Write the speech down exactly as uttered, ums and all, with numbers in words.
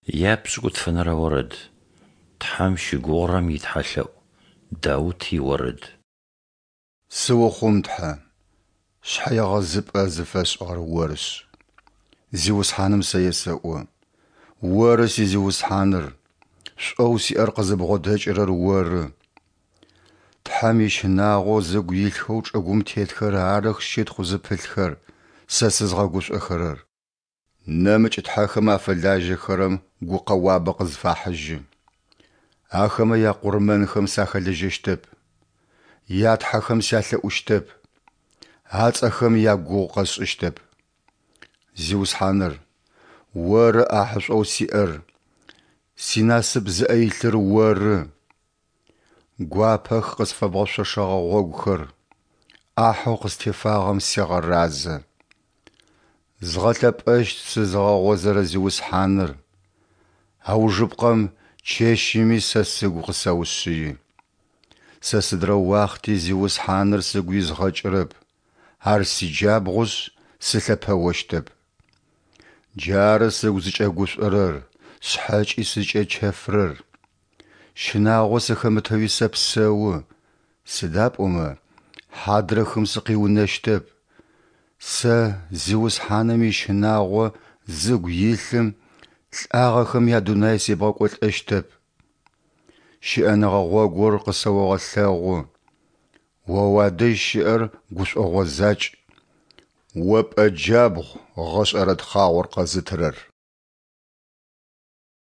Япшӏыкӏутфэнэрэ орэд. Тхьэм щыгугъырэм итхьэлъэӏу. Даут иорэд. Сыухъум, Тхьэ, шъхьэегъэзыпӏэ зыфэсшӏыгъэр Орышъ. Зиусхьаным сэ есэӏо: Оры си Зиусхьаныр, шӏоу сиӏэр къызыбгъодэкӏырэр Оры. Тхьэм ищынагъо зыгу илъхэу чӏыгум тетхэр арых щытхъу зыпылъхэр, сэ сызгъэгушӏохэрэр. Нэмыкӏ тхьэхэм афэлажьэхэрэм гукъэуабэ къызфахьыжьы. Ахэмэ якъурмэнхэм сахэлэжьэщтэп, ятхьэхэм сялъэӏущтэп, ацӏэхэм ягугъу къэсшӏыщтэп. Зиусхьаныр, Оры ӏахьышӏоу сиӏэр, синасып зыӏэ илъыр Оры. Гуапэх къысфэбгъэшъошэгъэ гъогухэр, ӏахьэу къыстефагъэм сегъэразэ. Згъэлъэпӏэщт сызыгъэгъозэрэ Зиусхьаныр, аужыпкъэм чэщыми сэ сыгу къысэушъыи. Сэ сыдрэ уахъти Зиусхьаныр сыгу изгъэкӏырэп, Ар сиджабгъушъ, сылъэпэощтэп. Джары сыгу зыкӏэгушӏорэр, сшъхьэкӏи сызкӏэчэфырэр. Щынагъо сыхэмытэуи сэпсэу, сыда пӏомэ хьадрэхым сыкъиунэщтэп. Сэ, Зиусхьаным ищынагъо зыгу илъым, лӏагъэхэм ядунай себгъэкӏолӏэщтэп. Щыӏэныгъэ гъогур къысэогъэлъэгъу, О уадэжь щыӏэр гушӏогъо закӏ, О пӏэ джабгъу гъэшӏэрэ тхъагъор къэзытырэр.